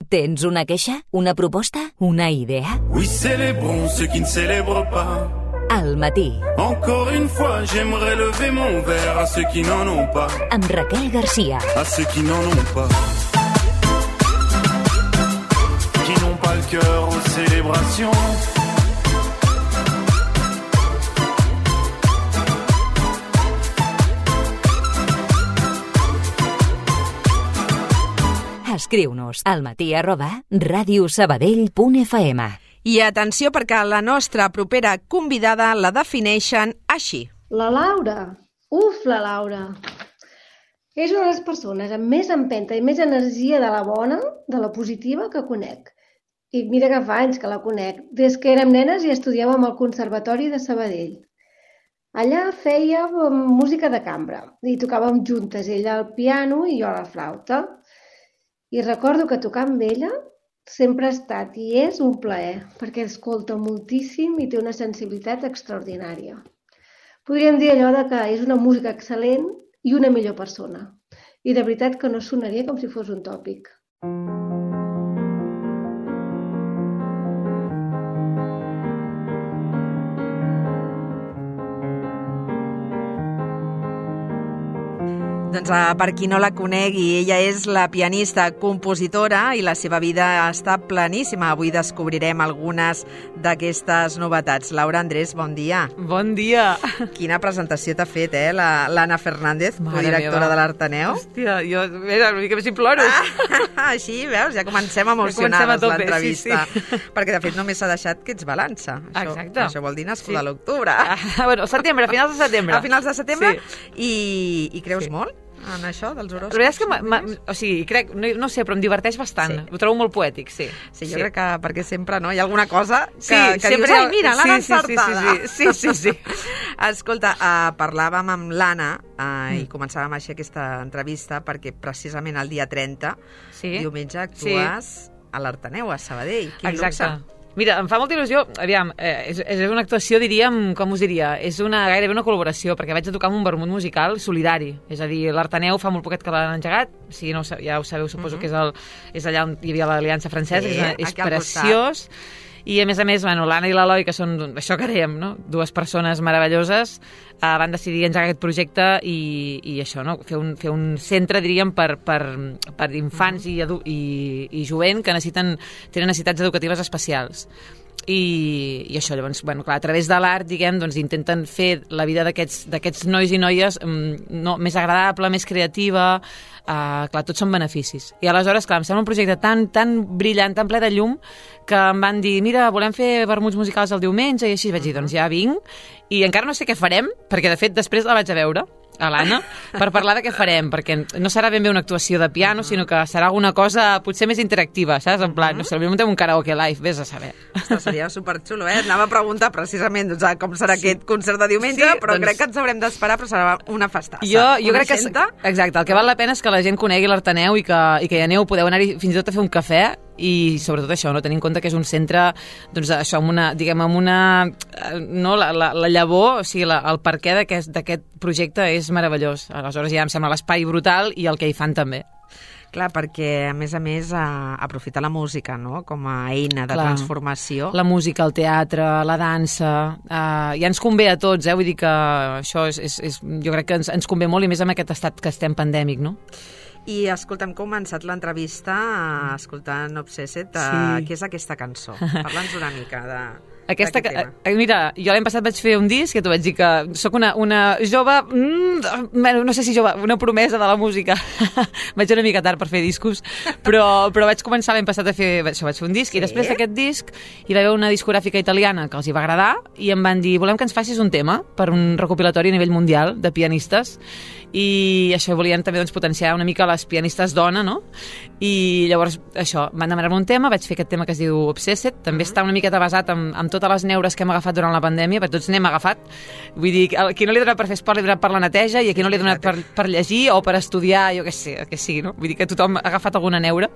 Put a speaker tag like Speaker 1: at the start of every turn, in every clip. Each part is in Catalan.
Speaker 1: Tens una queixa? Una proposta? Una idea?
Speaker 2: Oui, célébrons ceux qui ne célèbrent pas.
Speaker 1: Al matí.
Speaker 2: Encore une fois, j'aimerais lever mon verre à ceux qui n'en ont pas.
Speaker 1: Amb Raquel Garcia.
Speaker 2: À ceux qui n'en ont pas. Qui n'ont pas le cœur aux célébrations.
Speaker 1: Escriu-nos almatí@radiosabadell.fm.
Speaker 3: I atenció, perquè la nostra propera convidada la defineixen així.
Speaker 4: La Laura. La Laura. És una de les persones amb més empenta i més energia de la bona, de la positiva, que conec. I mira que fa anys que la conec, des que érem nenes i estudiàvem al Conservatori de Sabadell. Allà fèiem música de cambra i tocàvem juntes, ella al piano i jo a la flauta. I recordo que tocar amb ella sempre ha estat i és un plaer, perquè escolta moltíssim i té una sensibilitat extraordinària. Podríem dir allò de que és una música excel·lent i una millor persona. I de veritat que no sonaria com si fos un tòpic.
Speaker 3: Doncs per qui no la conegui, ella és la pianista, compositora i la seva vida està pleníssima. Avui descobrirem algunes d'aquestes novetats. Laura Andrés, bon dia.
Speaker 5: Bon dia.
Speaker 3: Quina presentació t'ha fet, l'Anna Fernández, directora de l'Arteneu.
Speaker 5: Hòstia, jo, mira, una mica més ploro.
Speaker 3: Així, veus, ja comencem emocionades l'entrevista. Perquè, de fet, només s'ha deixat que ets balança.
Speaker 5: Exacte.
Speaker 3: Això vol dir nascuda a l'octubre.
Speaker 5: Bueno, setembre, a finals de setembre.
Speaker 3: A finals de setembre? Sí. I creus molt en això dels horòscops?
Speaker 5: La veritat és que, o sigui, crec, no sé, però em diverteix bastant. Sí. Ho trobo molt poètic, sí.
Speaker 3: Sí, jo crec que perquè sempre, no? Hi ha alguna cosa que
Speaker 5: sempre
Speaker 3: dius, ai, mira, l'han encertada.
Speaker 5: Sí.
Speaker 3: Escolta, parlàvem amb l'Anna i començàvem així aquesta entrevista perquè precisament el dia 30, diumenge, actues a l'Arteneu, a Sabadell. Quin luxe.
Speaker 5: Mira, em fa molta il·lusió, aviam, és una actuació, diríem, com us diria, és gairebé una col·laboració, perquè vaig a tocar amb un vermut musical solidari, és a dir, l'Arteneu fa molt poquet que l'han engegat, si no, ja ho sabeu, suposo que és allà on hi havia l'Aliança Francesa, és preciós, i a més, bueno, l'Anna i l'Eloi, que són això que dèiem, no? Dues persones meravelloses, van decidir engegar aquest projecte i això, no? Fer un centre, diríem, per infants i jovent que tenen necessitats educatives especials. I això, llavors, bueno, clar, a través de l'art, diguem, doncs intenten fer la vida d'aquests nois i noies més agradable, més creativa, clar, tots són beneficis. I aleshores, clar, em sembla un projecte tan brillant, tan ple de llum, que em van dir, mira, volem fer vermuts musicals el diumenge, i així vaig dir, doncs ja vinc, i encara no sé què farem, perquè de fet després la vaig a veure, a l'Anna, per parlar de què farem, perquè no serà ben bé una actuació de piano, sinó que serà alguna cosa potser més interactiva, saps? En plan, no sé, potser muntem un karaoke live, vés a saber.
Speaker 3: Ostres, seria superxulo, Anava a preguntar precisament com serà aquest concert de diumenge, però crec que ens haurem d'esperar, però serà una festassa.
Speaker 5: Jo crec que... Exacte, el que val la pena és que la gent conegui l'Arteneu i que hi aneu, podeu anar-hi fins i tot a fer un cafè, i sobretot això, no tenir en compte que és un centre, doncs això, amb una la llavor, o sigui, el perquè d'aquest projecte és meravellós. Aleshores ja em sembla l'espai brutal i el que hi fan també.
Speaker 3: Clar, perquè a més aprofita la música, no?, com a eina de transformació.
Speaker 5: La música, el teatre, la dansa, ja ens convé a tots, vull dir que això jo crec que ens convé molt, i més amb aquest estat que estem pandèmic, no?
Speaker 3: I escolta, hem començat l'entrevista escoltant Obsessed. Què és aquesta cançó? Parla'ns una mica d'aquest tema.
Speaker 5: Mira, jo l'any passat vaig fer un disc, que t'ho vaig dir que sóc una jove, no sé si jove, una promesa de la música. Vaig una mica tard per fer discos, però vaig començar l'any passat a fer un disc, i després d'aquest disc hi va haver una discogràfica italiana que els hi va agradar i em van dir, volem que ens facis un tema per un recopilatori a nivell mundial de pianistes, i això volien també potenciar una mica les pianistes dona, no? I llavors això, van demanar-me un tema, vaig fer aquest tema que es diu Obsessed, també està una miqueta basat en tot totes les neures que hem agafat durant la pandèmia, perquè tots n'hem agafat. Vull dir, a qui no li ha donat per fer esport, li ha donat per la neteja, i a qui no li ha donat per llegir o per estudiar, jo què sé, el que sigui, no? Vull dir que tothom ha agafat alguna neura,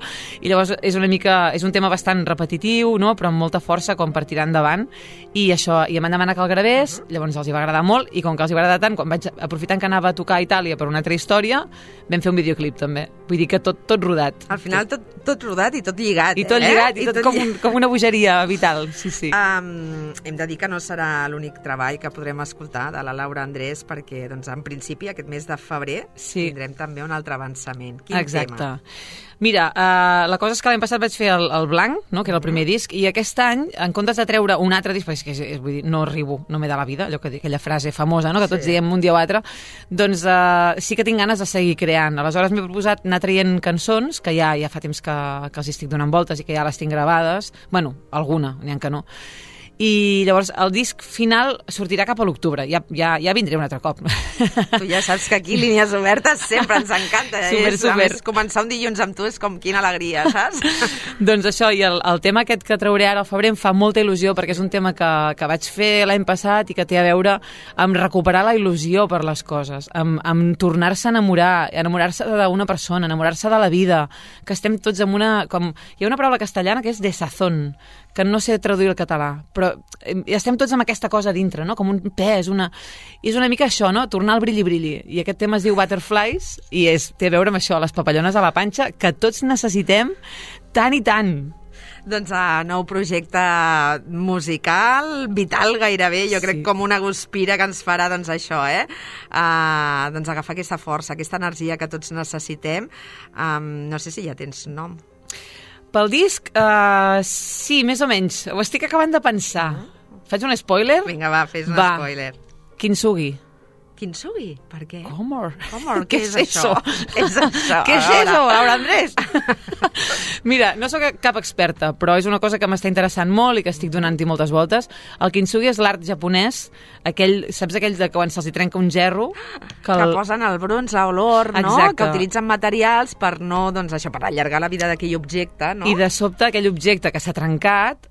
Speaker 5: i llavors és un tema bastant repetitiu, no? Però amb molta força com per tirar endavant, i això, i em van demanar que el gravés, llavors els hi va agradar molt, i com que els hi va agradar tant, quan vaig aprofitant que anava a tocar a Itàlia per una altra història, vam fer un videoclip també. Vull dir que tot rodat.
Speaker 3: Al final tot rodat i tot lligat.
Speaker 5: I tot lligat, i tot com una bogeria vital, sí.
Speaker 3: Hem de dir que no serà l'únic treball que podrem escoltar de la Laura Andrés, perquè doncs, en principi aquest mes de febrer tindrem també un altre avançament. Quin tema?
Speaker 5: Mira, la cosa és que l'any passat vaig fer el Blanc, no?, que era el primer disc, i aquest any, en comptes de treure un altre disc, perquè vull dir, no arribo, no m'he de la vida, allò que aquella frase famosa, no?, que tots diem un dia o altre, doncs sí que tinc ganes de seguir creant. Aleshores m'he proposat anar traient cançons, que ja fa temps que els estic donant voltes i que ja les tinc gravades, bueno, alguna, n'hi ha que no. I llavors el disc final sortirà cap a l'octubre, ja vindré un altre cop.
Speaker 3: Tu ja saps que aquí línies obertes sempre ens encanta.
Speaker 5: Super.
Speaker 3: A més, començar un dilluns amb tu és com quina alegria, saps?
Speaker 5: Doncs això, i el tema aquest que trauré ara al febrer em fa molta il·lusió, perquè és un tema que vaig fer l'any passat i que té a veure amb recuperar la il·lusió per les coses, amb tornar-se a enamorar-se d'una persona, enamorar-se de la vida, que estem tots amb una... Hi ha una paraula castellana que és desazón, que no sé traduir al català, però estem tots amb aquesta cosa dintre, no? Com un pes, i és una mica això, no? Tornar al brilli-brilli. I aquest tema es diu Butterflies i té a veure amb això, les papallones a la panxa, que tots necessitem tant i tant.
Speaker 3: Doncs nou projecte musical, vital gairebé, jo crec com una guspira que ens farà doncs això, doncs agafar aquesta força, aquesta energia que tots necessitem. No sé si ja tens nom.
Speaker 5: Pel disc, sí, més o menys. Ho estic acabant de pensar. Faig un spoiler?
Speaker 3: Vinga, va, fes un spoiler.
Speaker 5: Kintsugi.
Speaker 3: Kintsugi? Per què?
Speaker 5: Comor.
Speaker 3: Què és això?
Speaker 5: Què és això, Laura Andrés? Mira, no sóc cap experta, però és una cosa que m'està interessant molt i que estic donant-hi moltes voltes. El kintsugi és l'art japonès, saps aquells de quan se'ls trenca un gerro?
Speaker 3: Que posen el bronze o l'or, no? Que utilitzen materials per no, doncs això, per allargar la vida d'aquell objecte, no?
Speaker 5: I de sobte aquell objecte que s'ha trencat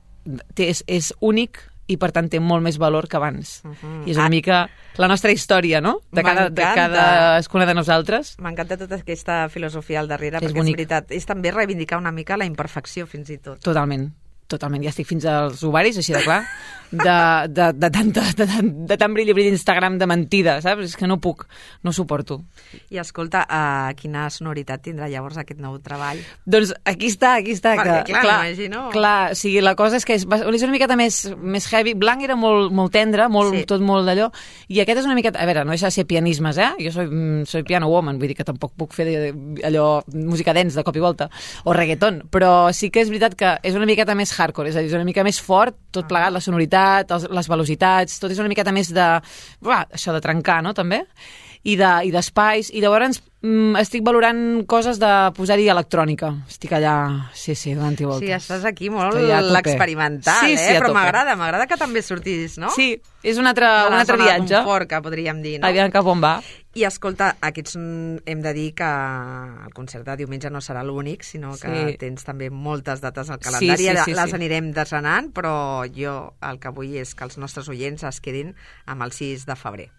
Speaker 5: és únic i per tant té molt més valor que abans. I és una mica la nostra història, no? De cadascuna de nosaltres.
Speaker 3: M'encanta tota aquesta filosofia al darrere, perquè és veritat, és també reivindicar una mica la imperfecció fins i tot.
Speaker 5: Totalment. Ja estic fins als ovaris, així de clar, de tant brilli Instagram de mentida, saps? És que no puc, no suporto.
Speaker 3: I escolta, quina sonoritat tindrà llavors aquest nou treball?
Speaker 5: Doncs aquí està.
Speaker 3: Perquè clar, m'imagino.
Speaker 5: Clar, o sigui, la cosa és que és una miqueta més heavy. Blanc era molt tendre, tot molt d'allò, i aquest és una miqueta, a veure, no deixa de ser pianismes, Jo soy piano woman, vull dir que tampoc puc fer allò, música dance de cop i volta, o reggaeton, però sí que és veritat que és una miqueta més hardcore, és a dir, és una mica més fort, tot plegat, la sonoritat, les velocitats, tot és una miqueta més això de trencar, no?, també, i d'espais, i llavors estic valorant coses de posar-hi electrònica. Estic allà, sí, donant-hi voltes.
Speaker 3: Sí, estàs aquí molt l'experimental, però m'agrada que també sortis, no?
Speaker 5: Sí, és un altre viatge.
Speaker 3: De confort, que podríem dir, no?
Speaker 5: Aviam cap on va.
Speaker 3: I escolta, aquests hem de dir que el concert de diumenge no serà l'únic, sinó que tens també moltes dates al calendari. Les anirem desgranant, però jo el que vull és que els nostres oients es quedin amb el 6 de febrer.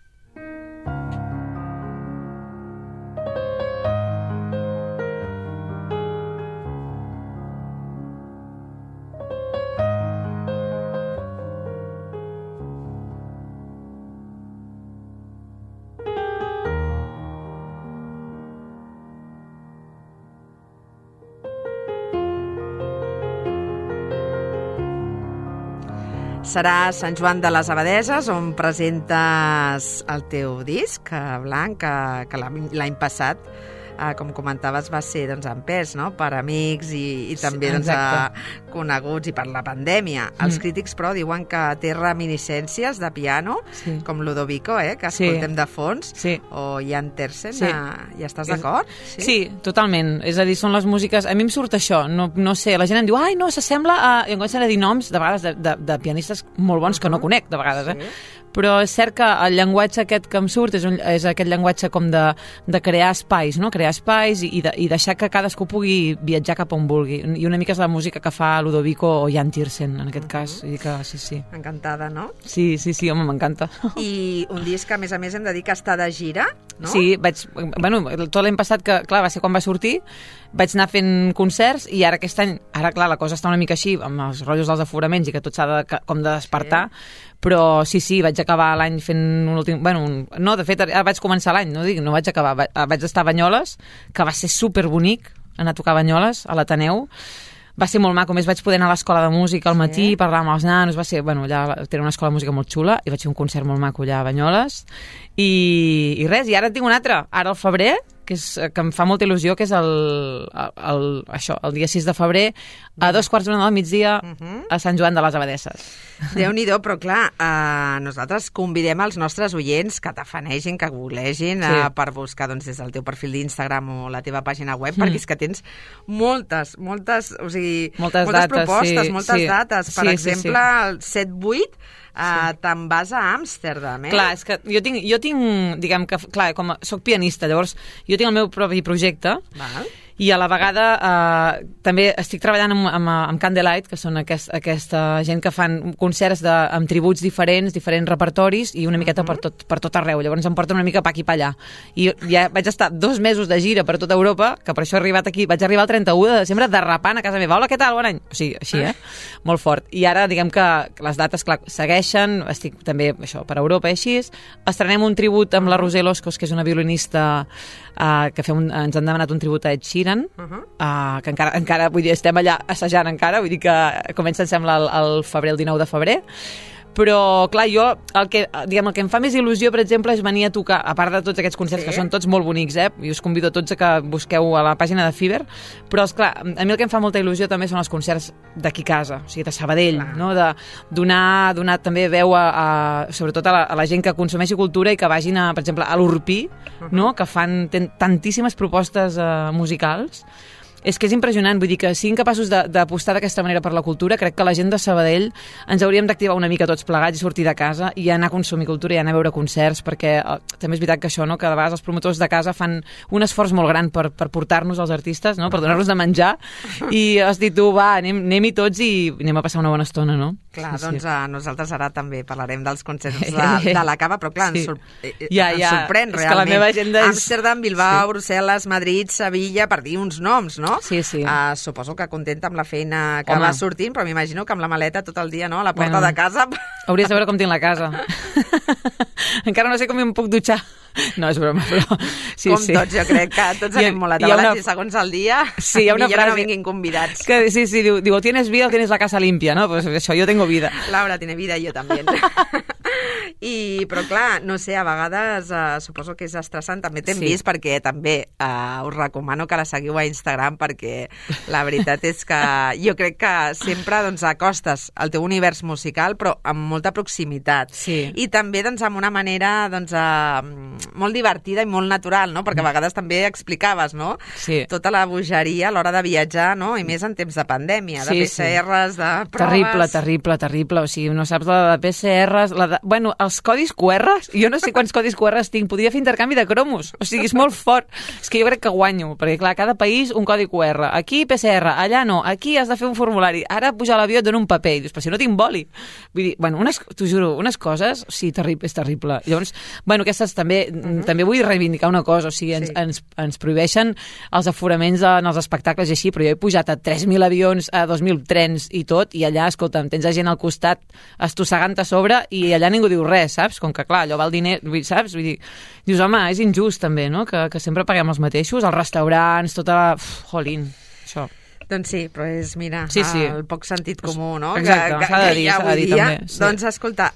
Speaker 3: Serà Sant Joan de les Abadeses, on presentes el teu disc, Blanc, que l'any passat, com comentaves, va ser en pes, no?, per amics i també coneguts, i per la pandèmia. Els crítics, però, diuen que té reminiscències de piano, com Ludovico, que escoltem de fons, o Jan Tersen. Hi estàs d'acord?
Speaker 5: Sí, totalment. És a dir, són les músiques... A mi em surt això, no sé, la gent em diu, no, s'assembla a... I em comencen a dir noms, de vegades, de pianistes molt bons que no conec, de vegades, però és cert que el llenguatge aquest que em surt és aquest llenguatge com de crear espais, no? Crear espais i deixar que cadascú pugui viatjar cap on vulgui. I una mica és la música que fa Ludovico o Jan Tiersen, en aquest cas. I que sí.
Speaker 3: Encantada, no?
Speaker 5: Sí, home, m'encanta.
Speaker 3: I un disc que, a més, hem de dir que està de gira, no?
Speaker 5: Sí, tot l'any passat, que clar, va ser quan va sortir, vaig anar fent concerts i ara aquest any, clar, la cosa està una mica així, amb els rotllos dels aforaments i que tot s'ha de despertar, però sí, vaig acabar l'any fent un últim... no, de fet, ara vaig començar l'any, no vaig acabar, vaig estar a Banyoles, que va ser superbonic anar a tocar a Banyoles, a l'Ateneu. Va ser molt maco, més vaig poder anar a l'escola de música al matí, parlar amb els nanos, va ser, allà tenen una escola de música molt xula, i vaig fer un concert molt maco allà a Banyoles, i res, i ara en tinc un altre, ara al febrer, que em fa molta il·lusió, que és el dia 6 de febrer, a 2:15 del migdia, a Sant Joan de les Abadesses.
Speaker 3: Déu-n'hi-do, però clar, nosaltres convidem els nostres oients que tafanegin, que googlegin per buscar des del teu perfil d'Instagram o la teva pàgina web, perquè és que tens moltes propostes, moltes dates. Per exemple, el 7-8 te'n vas a Amsterdam,
Speaker 5: Clar, és que jo tinc, diguem que, clar, com soc pianista, llavors jo tinc el meu propi projecte, i a la vegada també estic treballant amb Candlelight, que són aquesta gent que fan concerts amb tributs diferents repertoris i una miqueta per tot arreu. Llavors em porten una mica pa aquí pa allà. I ja vaig estar 2 mesos de gira per tota Europa, que per això he arribat aquí. Vaig arribar el 31 de desembre derrapant a casa meva. Hola, què tal? Bon any! O sigui, així, molt fort. I ara, diguem que les dates, clar, segueixen. Estic també, això, per Europa i així. Estrenem un tribut amb la Roser Loscos, que és una violinista que ens han demanat un tribut a Ed Sheeran, que encara, vull dir, estem allà assajant encara, vull dir que comença, em sembla, el 19 de febrer, però, clar, jo, el que em fa més il·lusió, per exemple, és venir a tocar, a part de tots aquests concerts, que són tots molt bonics, i us convido a tots a que busqueu a la pàgina de Fever, però, esclar, a mi el que em fa molta il·lusió també són els concerts d'aquí a casa, o sigui, de Sabadell, no? De donar també veu sobretot a la gent que consumeixi cultura i que vagin, per exemple, a l'Urpí, no? Que fan tantíssimes propostes musicals. És que és impressionant, vull dir que siguin capaços d'apostar d'aquesta manera per la cultura. Crec que la gent de Sabadell ens hauríem d'activar una mica tots plegats i sortir de casa i anar a consumir cultura i anar a veure concerts, perquè també és veritat que això, no? Que de vegades els promotors de casa fan un esforç molt gran per portar-nos als artistes, no? Per donar-nos de menjar, i has dit tu, va, anem-hi tots i anem a passar una bona estona, no?
Speaker 3: Clar, doncs nosaltres ara també parlarem dels concerts de la Cava, però clar, ens sorprèn realment. És que la meva agenda és... Amsterdam, Bilbao, Brussel·les, Madrid, Sevilla, per dir uns noms, no?
Speaker 5: Sí.
Speaker 3: Suposo que contenta amb la feina que va sortint, però m'imagino que amb la maleta tot el dia, no?, a la porta de casa.
Speaker 5: Hauries de veure com tinc la casa. Encara no sé com em puc dutxar. No, és broma, però...
Speaker 3: Tots, jo crec que tots anem molt atabalats i segons el dia,
Speaker 5: hi ha una frase,
Speaker 3: no vinguin convidats.
Speaker 5: Sí, diu, o tienes vida o tienes la casa limpia, no? Pues això, yo tengo vida.
Speaker 3: Laura tiene vida y yo también. Però clar, no sé, a vegades suposo que és estressant, també t'hem vist, perquè també us recomano que la seguiu a Instagram, perquè la veritat és que jo crec que sempre acostes el teu univers musical, però amb molta proximitat. I també amb una manera molt divertida i molt natural, no? Perquè a vegades també explicaves, no? Tota la bogeria a l'hora de viatjar, no? I més en temps de pandèmia, de PCRs, de proves...
Speaker 5: Terrible. O sigui, no saps la de PCRs... Bueno, els codis QR, jo no sé quants codis QR tinc, podria fer intercanvi de cromos, o sigui, és molt fort. És que jo crec que guanyo, perquè clar, cada país un codi QR, aquí PCR, allà no, aquí has de fer un formulari, ara pujar a l'avió et dono un paper, i dius, però si no tinc boli. Vull dir, bueno, t'ho juro, unes coses, sí, és terrible. Llavors, bueno, aquestes també vull reivindicar una cosa, o sigui, ens prohibeixen els aforaments en els espectacles i així, però jo he pujat a 3.000 avions, a 2.000 trens i tot, i allà, escolta'm, tens gent al costat estossegant a sobre i allà ningú diu res, saps? Com que, clar, allò val diner, saps? Vull dir, dius, home, és injust també, no? Que sempre paguem els mateixos, els restaurants, tota la... Jolín, això...
Speaker 3: Doncs sí, però és, mira, el poc sentit comú, no?
Speaker 5: Exacte, s'ha de dir, també.
Speaker 3: Doncs, escolta,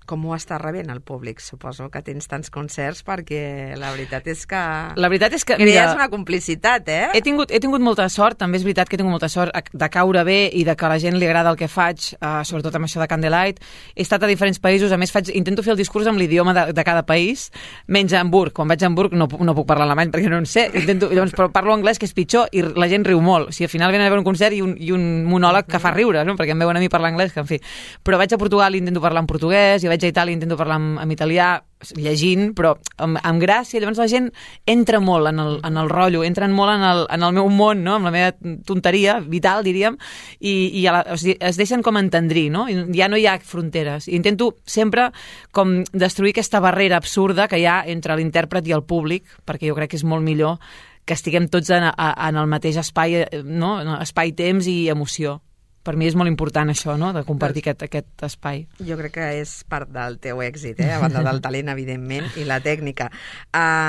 Speaker 3: com ho està rebent el públic? Suposo que tens tants concerts, perquè la veritat és que...
Speaker 5: La veritat és que...
Speaker 3: Crees una complicitat,
Speaker 5: He tingut molta sort, també és veritat que he tingut molta sort de caure bé i de que a la gent li agrada el que faig, sobretot amb això de Candlelight. He estat a diferents països, a més intento fer el discurs amb l'idioma de cada país, menys a Hamburg. Quan vaig a Hamburg no puc parlar alemany perquè no en sé, llavors, però parlo anglès, que és pitjor, i la gent riu molt. O sigui, al final venen a veure un concert i un monòleg que fa riure, no? Perquè em veuen a mi parlar anglès, que en fi. Però vaig a Portugal i intento parlar en portuguès, i vaig a Itàlia i intento parlar en italià, llegint, però amb gràcia. Llavors la gent entra molt en el rotllo, entren molt en el meu món, no? Amb la meva tonteria vital, diríem, i o sigui, es deixen com entendrir, no? I ja no hi ha fronteres. I intento sempre com destruir aquesta barrera absurda que hi ha entre l'intèrpret i el públic, perquè jo crec que és molt millor que estiguem tots en el mateix espai, no? Espai-temps i emoció. Per mi és molt important això, no?, de compartir aquest espai.
Speaker 3: Jo crec que és part del teu èxit, a banda del talent, evidentment, i la tècnica.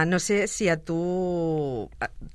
Speaker 3: No sé si a tu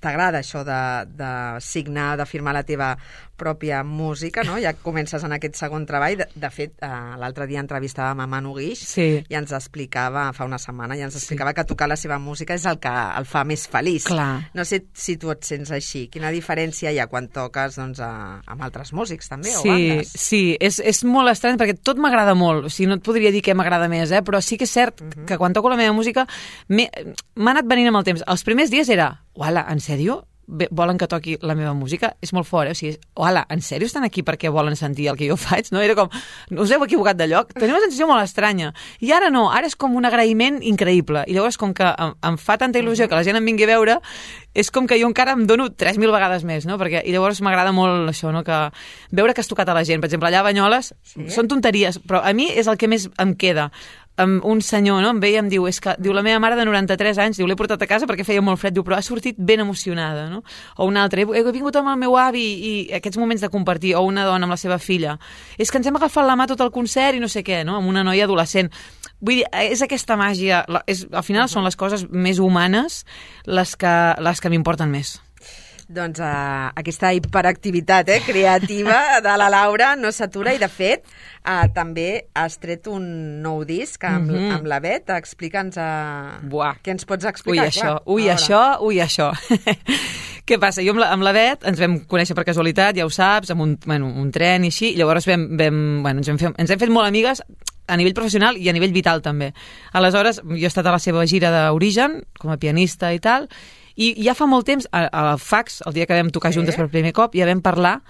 Speaker 3: t'agrada això de signar, de firmar la teva pròpia música, no? Ja comences en aquest segon treball. De fet, l'altre dia entrevistàvem a Manu Guix i ens explicava, fa una setmana, que tocar la seva música és el que el fa més feliç.
Speaker 5: Clar.
Speaker 3: No sé si tu et sents així. Quina diferència hi ha quan toques amb altres músics, també?
Speaker 5: Sí, és molt estrany perquè tot m'agrada molt, o sigui, no et podria dir què m'agrada més, però sí que és cert que quan toco la meva música m'ha anat venint amb el temps. Els primers dies era, uala, en sèrio? Volen que toqui la meva música? És molt fort, o sigui, uala, en sèrio estan aquí perquè volen sentir el que jo faig? No? Era com, us heu equivocat de lloc? Tenia una sensació molt estranya. I ara no, ara és com un agraïment increïble. I llavors, com que em fa tanta il·lusió que la gent em vingui a veure, és com que jo encara em dono 3.000 vegades més, no? I llavors m'agrada molt això, no? Que veure que has tocat a la gent. Per exemple, allà a Banyoles són tonteries, però a mi és el que més em queda. Un senyor, no?, em veia i em diu, la meva mare de 93 anys, l'he portat a casa perquè feia molt fred, però ha sortit ben emocionada, no? O una altra, he vingut amb el meu avi i aquests moments de compartir, o una dona amb la seva filla, és que ens hem agafat la mà tot el concert i no sé què, no?, amb una noia adolescent. Vull dir, és aquesta màgia, al final són les coses més humanes les que m'importen més.
Speaker 3: Doncs aquesta hiperactivitat creativa de la Laura no s'atura i, de fet, també has tret un nou disc amb la Bet. Explica'ns què ens pots explicar.
Speaker 5: Això. Què passa? Jo amb la Bet ens vam conèixer per casualitat, ja ho saps, amb un tren i així, i llavors ens hem fet molt amigues a nivell professional i a nivell vital també. Aleshores, jo he estat a la seva gira d'Origen com a pianista i tal, i ja fa molt temps, al Fax, el dia que vam tocar juntes per primer cop, ja vam parlar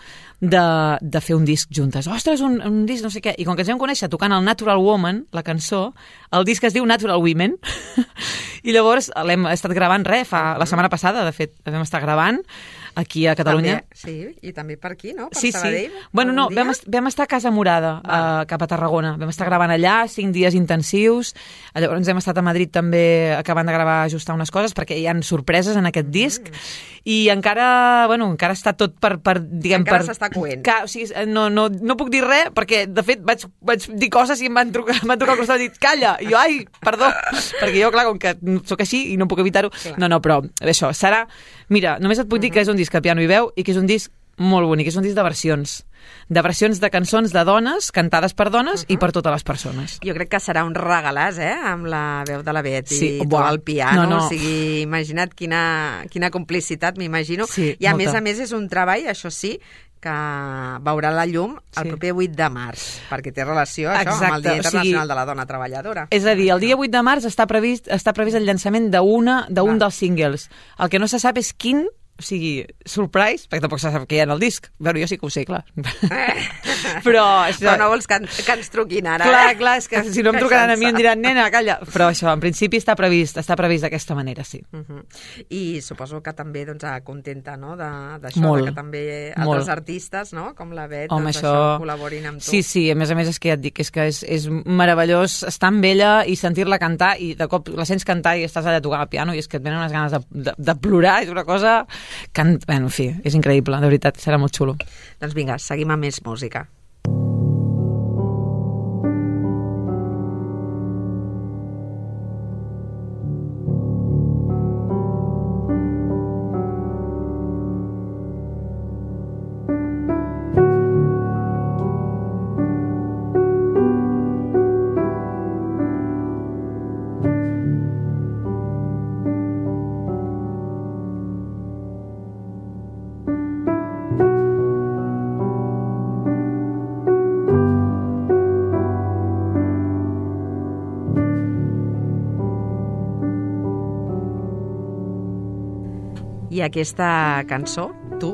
Speaker 5: de fer un disc juntes. Ostres, un disc no sé què. I com que ens vam conèixer tocant el Natural Woman, la cançó, el disc es diu Natural Women, i llavors l'hem estat gravant la setmana passada, de fet, vam estar gravant aquí a Catalunya.
Speaker 3: I també per aquí, no? Per Sabadell.
Speaker 5: Bueno, no, vam estar a Casa Morada, cap a Tarragona. Vam estar gravant allà 5 dies intensius. Llavors hem estat a Madrid també acabant de gravar, ajustar unes coses, perquè hi ha sorpreses en aquest disc. I encara està tot
Speaker 3: encara s'està coent.
Speaker 5: O sigui, no puc dir res, perquè, de fet, vaig dir coses i em van trucar al costat i dit, calla! I jo, ai, perdó! Perquè jo, clar, com que sóc així i no puc evitar-ho. No, però això serà... Mira, només et puc dir que és un disc a piano i veu i que és un disc molt bonic, és un disc de versions de cançons de dones, cantades per dones i per totes les persones.
Speaker 3: Jo crec que serà un regalàs, amb la veu de la Bet i tu al piano. O sigui, imagina't quina complicitat, m'imagino. I a més és un treball, això sí, que veurà la llum el proper 8 de març, perquè té relació això amb el Dia Internacional de la Dona Treballadora.
Speaker 5: És a dir, el dia 8 de març està previst el llançament d'un dels singles. El que no se sap és quin, o sigui, surprise, perquè tampoc se sap què hi ha en el disc. Bueno, jo sí que ho sé, clar. Però
Speaker 3: no vols que ens truquin ara.
Speaker 5: Clar, és que si no em trucaran a mi em diran, nena, calla. Però això, en principi està previst d'aquesta manera, sí.
Speaker 3: I suposo que també contenta, no?, d'això, que també altres artistes, no?, com la Bet, col·laborin amb tu.
Speaker 5: Sí, a més és que ja et dic, és meravellós estar amb ella i sentir-la cantar, i de cop la sents cantar i estàs allà tocant el piano i és que et venen unes ganes de plorar, és una cosa... en fi, és increïble, de veritat, serà molt xulo.
Speaker 3: Doncs vinga, seguim amb més música. I aquesta cançó, tu,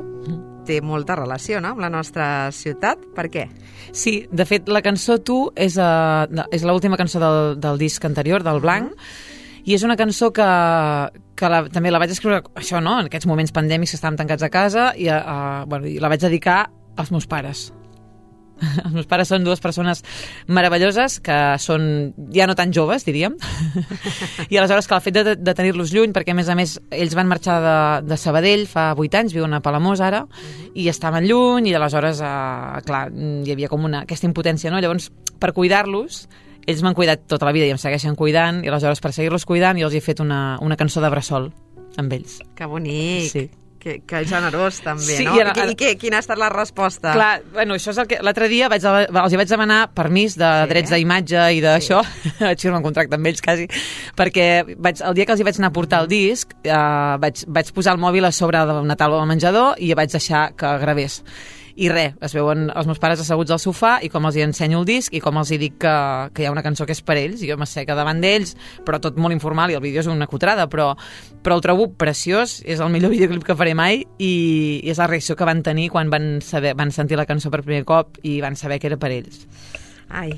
Speaker 3: té molta relació, no?, amb la nostra ciutat. Per què?
Speaker 5: Sí, de fet, la cançó Tu és l'última cançó del disc anterior, del Blanc, i és una cançó que també la vaig escriure, això, no?, en aquests moments pandèmics que estàvem tancats a casa, i la vaig dedicar als meus pares. Els meus pares són dues persones meravelloses que són ja no tan joves, diríem, i aleshores que el fet de tenir-los lluny, perquè a més ells van marxar de Sabadell fa 8 anys, viuen a Palamós ara, i estaven lluny, i aleshores clar, hi havia com aquesta impotència, no? Llavors, per cuidar-los, ells m'han cuidat tota la vida i em segueixen cuidant, i aleshores per seguir-los cuidant jo els he fet una cançó de bressol amb ells.
Speaker 3: Que bonic!
Speaker 5: Sí.
Speaker 3: Que generós, també,
Speaker 5: sí,
Speaker 3: no? I quina ha estat la resposta?
Speaker 5: Clar, bueno, això és el que... L'altre dia els hi vaig demanar permís de drets d'imatge i d'això, vaig firmar un contracte amb ells, quasi, perquè el dia que els hi vaig anar a portar el disc, vaig posar el mòbil a sobre d'una taula del menjador i vaig deixar que gravés. I res, es veuen els meus pares asseguts al sofà i com els hi ensenyo el disc i com els hi dic que hi ha una cançó que és per ells, i jo m'asseca davant d'ells, però tot molt informal, i el vídeo és una cutrada, però el trobo preciós, és el millor videoclip que faré mai, i és la reacció que van tenir quan van sentir la cançó per primer cop i van saber que era per ells.
Speaker 3: Ai,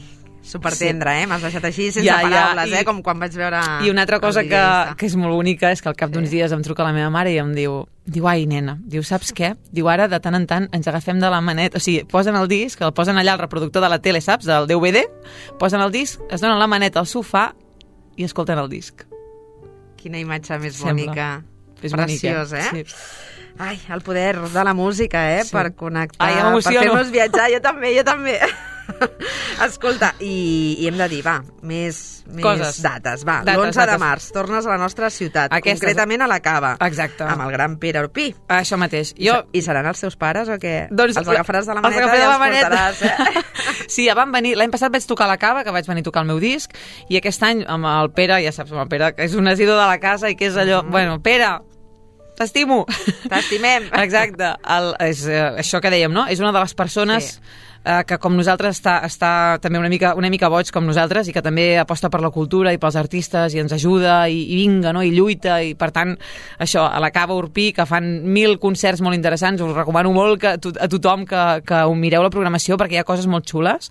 Speaker 3: supertendre, M'has deixat així sense paraules, com quan vaig veure...
Speaker 5: I una altra cosa que és molt bonica és que al cap d'uns dies em truca la meva mare i em diu, ai, nena, saps què? Diu, ara de tant en tant ens agafem de la maneta, o sigui, posen el disc, el posen allà al reproductor de la tele, saps, del DVD, posen el disc, es donen la maneta al sofà i escolten el disc.
Speaker 3: Quina imatge més bonica.
Speaker 5: És
Speaker 3: preciós,
Speaker 5: bonica. Sí.
Speaker 3: Ai, el poder de la música,
Speaker 5: sí.
Speaker 3: Per connectar,
Speaker 5: per
Speaker 3: fer-nos viatjar, jo també. Escolta, i hem de dir, més dates. L'11 de març, tornes a la nostra ciutat, concretament a la Cava.
Speaker 5: Exacte.
Speaker 3: Amb el gran Pere Urpí.
Speaker 5: Això mateix.
Speaker 3: I seran els teus pares o què?
Speaker 5: Doncs
Speaker 3: els agafaràs de la maneta i els portaràs,
Speaker 5: Sí, ja van venir. L'any passat vaig tocar a la Cava, que vaig venir a tocar el meu disc, i aquest any amb el Pere, ja saps, amb el Pere, que és un asidus de la casa i que és allò... Bueno, Pere, t'estimo.
Speaker 3: T'estimem.
Speaker 5: Exacte. És això que dèiem, no? És una de les persones... que com nosaltres està també una mica boig com nosaltres i que també aposta per la cultura i pels artistes i ens ajuda i vinga, no? I lluita, i per tant això, a la Cava Urpí, que fan 1000 concerts molt interessants, us recomano molt a tothom que ho mireu la programació perquè hi ha coses molt xules,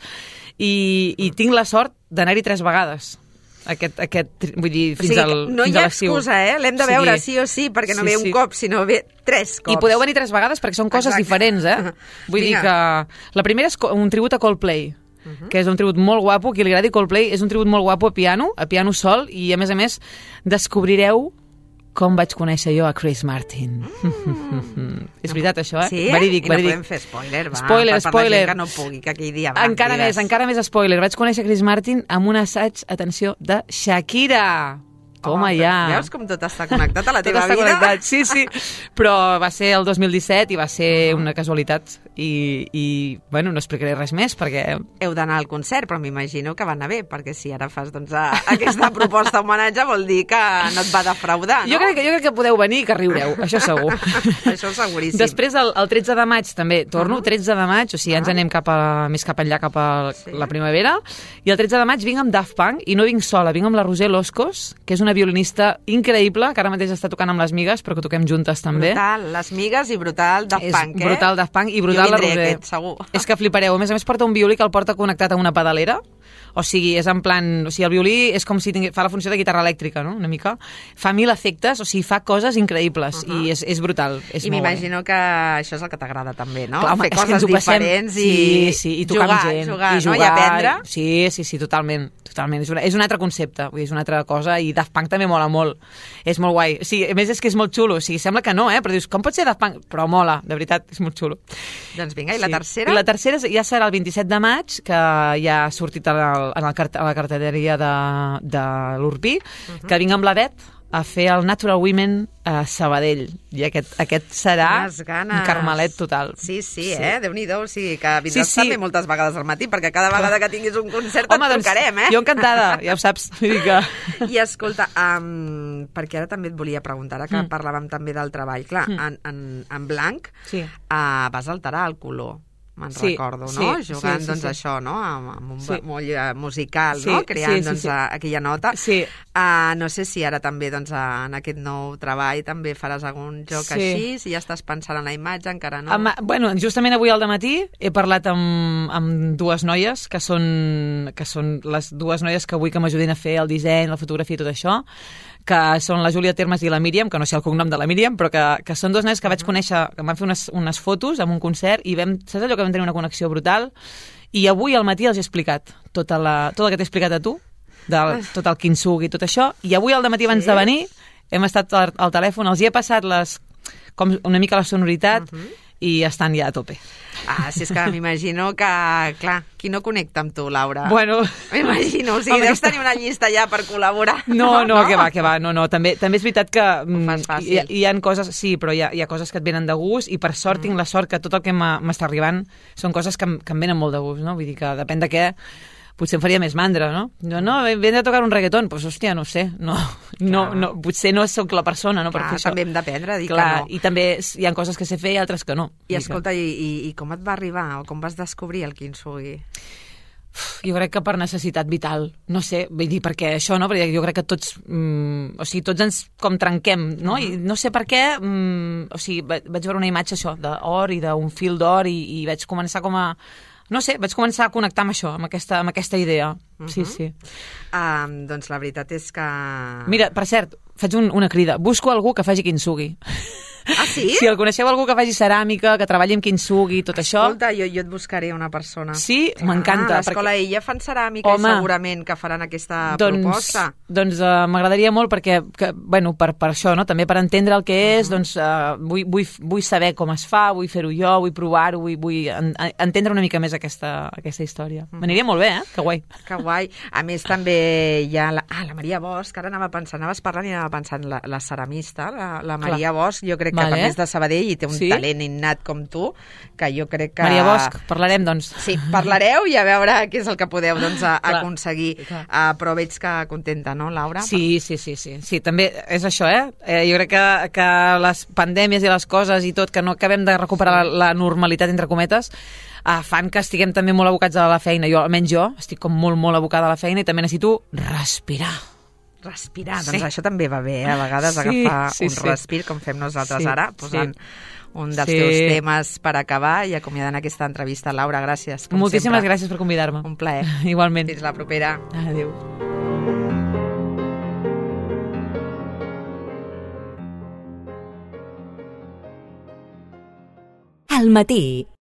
Speaker 5: i tinc la sort d'anar-hi 3 vegades. Vull dir, fins a l'estiu.
Speaker 3: No hi ha excusa, L'hem de veure sí o sí, perquè no ve un cop, sinó ve 3 cops.
Speaker 5: I podeu venir 3 vegades perquè són coses diferents, Vull dir que la primera és un tribut a Coldplay, que és un tribut molt guapo. Qui li agradi Coldplay, és un tribut molt guapo a piano sol, i a més descobrireu com vaig conèixer jo a Chris Martin. És veritat, això,
Speaker 3: Sí?
Speaker 5: Verídic.
Speaker 3: I no podem fer spoiler, va?
Speaker 5: Spoiler.
Speaker 3: Per la gent que no pugui, que aquell dia va.
Speaker 5: Encara més spoiler. Vaig conèixer Chris Martin amb un assaig, atenció, de Shakira. Toma ja.
Speaker 3: Veus com tot està connectat a la teva vida?
Speaker 5: Connectat. Sí. Però va ser el 2017 i va ser una casualitat. I bueno, no explicaré res més perquè...
Speaker 3: Heu d'anar al concert, però m'imagino que va anar bé, perquè si ara fas aquesta proposta homenatge vol dir que no et va defraudar, no?
Speaker 5: Jo crec que podeu venir i que riureu, això segur.
Speaker 3: Això seguríssim.
Speaker 5: Després, el 13 de maig també torno, 13 de maig, o sigui, ens anem més cap enllà, cap a la primavera, i el 13 de maig vinc amb Daft Punk, i no vinc sola, vinc amb la Roser Loscos, que és una violinista increïble, que ara mateix està tocant amb les Migues, però que toquem juntes també.
Speaker 3: Brutal, les Migues i brutal Daft Punk,
Speaker 5: Brutal Daft Punk i brutal la Roser.
Speaker 3: Segur.
Speaker 5: És que flipareu. A més porta un violí que el porta connectat a una pedalera. O sigui, és en plan... O sigui, el violí és com si fa la funció de guitarra elèctrica, no? Una mica. Fa 1000 efectes, o sigui, fa coses increïbles. I és brutal. És
Speaker 3: I m'imagino que això és el que t'agrada també, no?
Speaker 5: Clar,
Speaker 3: fer coses diferents i
Speaker 5: tocar amb gent.
Speaker 3: Jugar, no? I aprendre.
Speaker 5: Sí, totalment. És un altre concepte, vull dir, és una altra cosa, i Daft Punk també mola molt. És molt guai. O sigui, a més és que és molt xulo. O sigui, sembla que no, però dius, com pot ser Daft Punk? Però mola, de veritat, és molt xulo.
Speaker 3: Doncs vinga, i la tercera?
Speaker 5: I la tercera ja serà el 27 de maig, que ja ha sortit a la cartelleria de l'Urpí, que vinc amb la Det a fer el Natural Women a Sabadell. I aquest serà un carmelet total.
Speaker 3: Sí, Déu-n'hi-do. O sigui, que vindràs també moltes vegades al matí, perquè cada vegada que tinguis un concert et trucarem,
Speaker 5: Jo encantada, ja ho saps.
Speaker 3: I escolta, perquè ara també et volia preguntar, que parlàvem també del treball. Clar, en blanc vas alterar el color. me'n
Speaker 5: Sí,
Speaker 3: recordo,
Speaker 5: sí,
Speaker 3: no?
Speaker 5: sí,
Speaker 3: Jugant,
Speaker 5: sí,
Speaker 3: doncs,
Speaker 5: sí.
Speaker 3: això, no? Amb un
Speaker 5: Sí.
Speaker 3: moll musical,
Speaker 5: Sí,
Speaker 3: no? Creant,
Speaker 5: sí, sí,
Speaker 3: doncs,
Speaker 5: sí.
Speaker 3: aquella nota.
Speaker 5: Sí.
Speaker 3: No sé si ara també, doncs, en aquest nou treball també faràs algun joc
Speaker 5: Sí.
Speaker 3: així, si ja estàs pensant en la imatge, encara no?
Speaker 5: Bueno, justament avui al dematí he parlat amb dues noies, que són les dues noies que vull que m'ajudin a fer el disseny, la fotografia i tot això, que són la Júlia Termes i la Míriam, que no sé el cognom de la Míriam, però que són dues noies que vaig conèixer, que em van fer unes fotos en un concert i saps allò que vam tenir una connexió brutal? I avui al matí els he explicat tot el que t'he explicat a tu, tot el kintsugi i tot això, i avui al matí abans de venir hem estat al telèfon, els hi he passat com una mica la sonoritat i estan ja a tope.
Speaker 3: Si és que m'imagino que, clar, qui no connecta amb tu, Laura?
Speaker 5: Bueno...
Speaker 3: M'imagino, o sigui, deus tenir una llista ja per col·laborar.
Speaker 5: No, que va, no. També és veritat que
Speaker 3: fas fàcil.
Speaker 5: hi ha coses, sí, però hi ha coses que et venen de gust i per sort tinc la sort que tot el que m'està arribant són coses que em venen molt de gust, no? Vull dir que depèn de què, potser em faria més mandra, no? No, vens a tocar un reggaeton, doncs hòstia, no ho sé, no, potser no sóc la persona, no? Per fer això.
Speaker 3: També hem d'aprendre a dir
Speaker 5: Clar,
Speaker 3: que no.
Speaker 5: i també hi ha coses que sé fer i altres que no.
Speaker 3: I escolta, i com et va arribar, o com vas descobrir el kintsugi?
Speaker 5: Jo crec que per necessitat vital, no sé, vull dir, perquè això, no? Perquè jo crec que tots, tots ens com trenquem, no? I no sé per què, vaig veure una imatge això, d'or i d'un fil d'or i vaig començar no sé, vaig començar a connectar amb això, amb aquesta idea. Sí.
Speaker 3: Doncs la veritat és que...
Speaker 5: Mira, per cert, faig una crida. Busco algú que faci kintsugi.
Speaker 3: Sí?
Speaker 5: Si el coneixeu algú que faci ceràmica, que treballi amb kintsugi i tot això...
Speaker 3: Escolta, jo et buscaré una persona.
Speaker 5: Sí? M'encanta.
Speaker 3: A l'Escola Illa fan ceràmica i segurament que faran aquesta proposta.
Speaker 5: Doncs m'agradaria molt perquè, per això, no? També per entendre el que és, doncs vull saber com es fa, vull fer-ho jo, vull provar-ho, vull entendre una mica més aquesta història. M'aniria molt bé, Que guai.
Speaker 3: Que guai. A més, també hi ha la Maria Bosch, ara anaves parlant i anava pensant, la ceramista, la Maria Bosch, jo crec que també és de Sabadell i té un talent innat com tu, que jo crec que...
Speaker 5: Maria Bosch, parlarem, doncs.
Speaker 3: Sí, parlareu i a veure què és el que podeu aconseguir. Però veig que contenta, no, Laura?
Speaker 5: Sí, també és això, jo crec que les pandèmies i les coses i tot, que no acabem de recuperar la normalitat, entre cometes, fan que estiguem també molt abocats a la feina. Almenys jo estic com molt, molt abocada a la feina i també necessito respirar.
Speaker 3: Doncs això també va bé, a vegades agafar un respir, com fem nosaltres ara, posant un dels teus temes per acabar i acomiadant aquesta entrevista. Laura, gràcies.
Speaker 5: Moltíssimes gràcies per convidar-me.
Speaker 3: Un plaer.
Speaker 5: Igualment.
Speaker 3: Fins la propera.
Speaker 5: Adéu.
Speaker 1: Al matí.